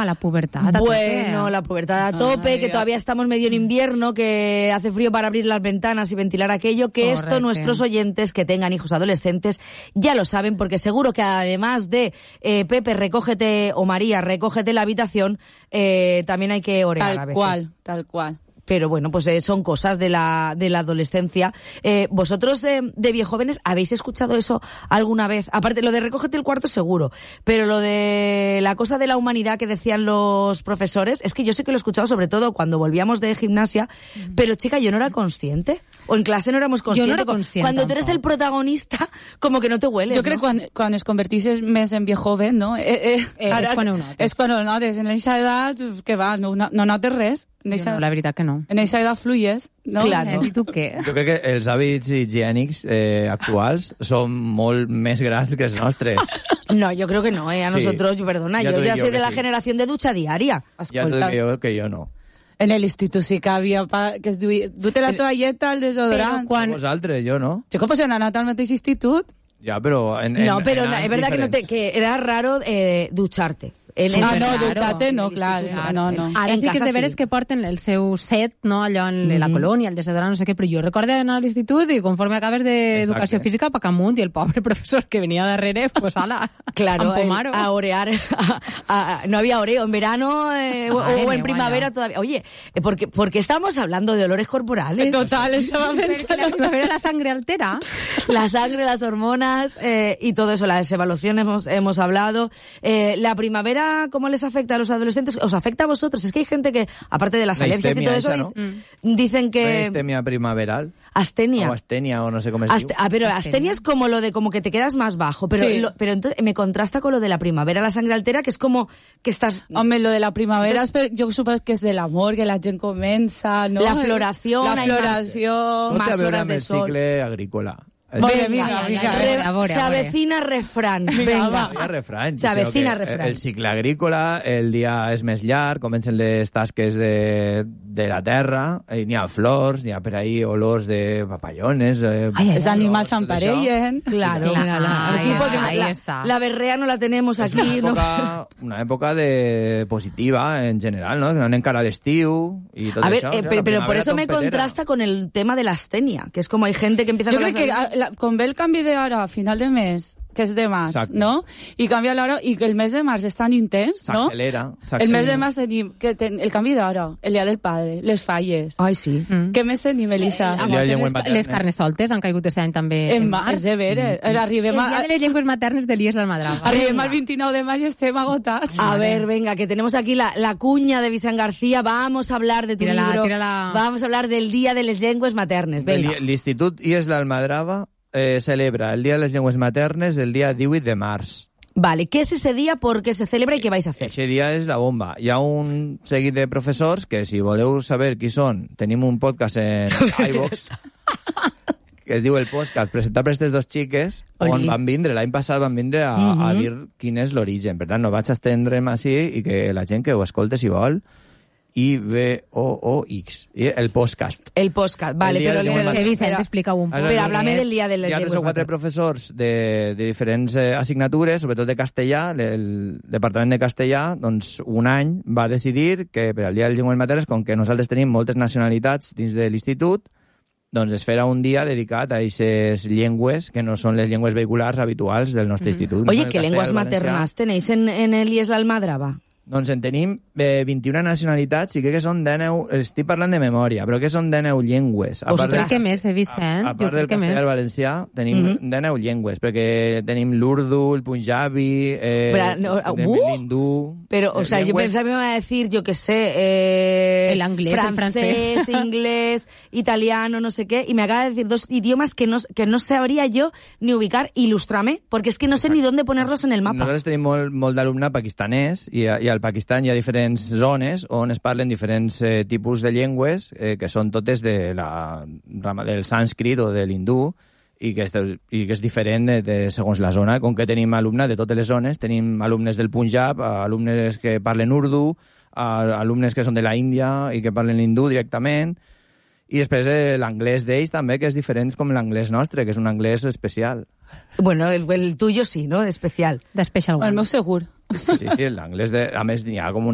a la pubertad. Bueno, la pubertad a tope, que todavía estamos medio en invierno, que hace frío para abrir las ventanas y ventilar aquello, que Correcte. esto nuestros oyentes que tengan hijos adolescentes ya lo saben, porque seguro que además de Pepe, recógete, o María, recógete la habitación, también hay que orear a veces. Tal cual. Pero bueno, pues son cosas de la adolescencia. ¿Vosotros de viejóvenes habéis escuchado eso alguna vez? Aparte, lo de recógete el cuarto seguro, pero lo de la cosa de la humanidad que decían los profesores, es que yo sé que lo he escuchado sobre todo cuando volvíamos de gimnasia, pero chica, yo no era consciente. O en clase no éramos conscientes. Yo no era consciente. Cuando tú eres el protagonista, como que no te hueles, Jo crec que quan es converteixes més en viejoven, no? És quan ho notes. És quan ho notes. En aquesta edat, que va, no notes res. Jo no, la veritat que no. En aquesta edat fluyes, no? Claro. I tu què? Jo crec que els hàbits higiènics actuals són molt més grans que els nostres. No, yo creo que no, A Sí. nosotros, perdona, Ya yo te ya digo soy de que la sí. generación de ducha diaria. Ja t'ho Escolta, dic que jo no. en l'institut sí que havia que es duia... Du-te la toalleta, el desodorant. Vosaltres, jo no. Chico, pues han anat al mateix institut. Ja, però... No, pero en es verdad diferents. que era raro ducharte. No, dutxate no, clar. No. Ara En sí que és casa de veres sí. que porten el seu set, no? Allò en la colònia, el desodorant, no sé què, però jo recordo anar a l'institut i conforme acabes d'educació física, pa camunt, i el pobre professor que venia darrere, pues ala, Claro, empomar-ho. a orear. No había oreo en verano o en primavera todavía. Oye, porque estamos hablando de olores corporales. Total, estava Perquè pensant... la primavera la sangre altera. La sangre, las hormonas y todo eso, las evaluaciones hemos hablado. La primavera, ¿cómo les afecta a los adolescentes? ¿Os afecta a vosotros? Es que hay gente que, aparte de las La alergias y todo eso, histemia dicen que... Histemia primaveral. Astenia. O astenia, o no sé com es diu. Pero astenia es como lo de como que te quedas más bajo, pero Sí. pero entonces me contrasta con lo de la primavera, la sangre altera, que es como que estás... Home, lo de la primavera, jo suposo que és de l'amor, que la gent comença, no? La floración, La hay más- floració... No té más a veure horas amb de el sol. cicle agrícola. Vinga, Se avecina refrán. Venga. Hi ha refrany. Se avecina sinó que refrán. El cicle agrícola, el dia és més llarg, comencen les tasques de la terra, n'hi ha flors, n'hi ha per ahí olors de papallones... Els animals s'emparellen. Claro, Claro. mira, Ahí aquí porque está, ahí la, está. la berrea no la tenemos aquí. Una època positiva en general, no? Que no anem cara a l'estiu i tot A ver, això. O sea, pero la por primavera eso me trompetera. contrasta con el tema de la astenia, que es como hay gente que empieza Jo con crec las que com ve el canvi d'hora a final de mes, que és de març, Exacte. no? I canvia l'hora, i que el mes de març és tan intens, no? S'accelera. El mes de març tenim el canvi d'hora, el dia del padre, les falles. Ay, sí. Què més tenim, Elisa? El dia de llengües Les maternes. carnestoltes han caigut este any també en març. És de veres. El Arribem, dia de les llengües maternes de l'IES l'Almadrava. arribem al 29 de maig i estem agotats. A ver, venga, que tenemos aquí la cuña de Vicent García. Vamos a hablar de tu Tírala, libro. tírala. Vamos a hablar del Día de les Llengües Maternes. Venga. L'Institut IES l'Almadrava celebra el Dia de les Llengües Maternes el dia 18 de març. Vale, ¿qué es ese día? ¿Por qué se celebra y qué vais a hacer? Aquest dia és la bomba. Hi ha un seguit de professors que, si voleu saber qui són, tenim un podcast en iVox que es diu El Podcast, presentat per aquestes dos xiques, on Oli. van vindre, l'any passat van vindre a dir quin és l'origen. Per tant, no vaig estendre'm així i que la gent que ho escolta, si vol, IVOOX, el podcast. El podcast, vale, El día pero... de les llengües Sí, Vicent, pero- explica-ho un poc. Pero háblame del Día de les Hi ha 3 o Llengües 4 Maternes. professors de diferents assignatures, sobretot de castellà. El Departament de Castellà, doncs, un any va decidir que per al Dia de les Llengües Maternes, com que nosaltres tenim moltes nacionalitats dins de l'institut, doncs es farà un dia dedicat a aquestes llengües que no són les llengües vehiculars habituals del nostre institut. Oye, No? ¿qué El lenguas castellà, el valencià. maternas tenéis en el IES l'Almadrava? Doncs en tenim 21 nacionalitats i crec que són 19... Estic parlant de memòria, però que són 19 llengües. Ostres. Jo crec que més, Vicent. A Jo part del crec que castellà i més. el valencià, tenim 19 llengües, perquè tenim l'urdu, el punjabi, l'hindú... Pero, o sea, yo pensaba que me iba a decir, yo qué sé, El inglés, el francés. inglés, italiano, no sé qué, y me acaba de decir 2 idiomas que no sabría yo ni ubicar. Ilústrame, porque es que no sé ni dónde ponerlos en el mapa. Nosaltres tenim molt d'alumne pakistanès i al Pakistan hi ha diferents zones on es parlen diferents tipus de llengües que són totes de la rama del sànscrit o de l'hindú i que és diferent segons la zona. Com que tenim alumnes de totes les zones, tenim alumnes del Punjab, alumnes que parlen urdu, alumnes que són de la Índia i que parlen hindú directament, I després l'anglès d'ells també, que és diferent com l'anglès nostre, que és un anglès especial. Bueno, el tuyo sí, ¿no? Especial. De Special One. El meu segur. Sí, l'anglès a més, n'hi ha com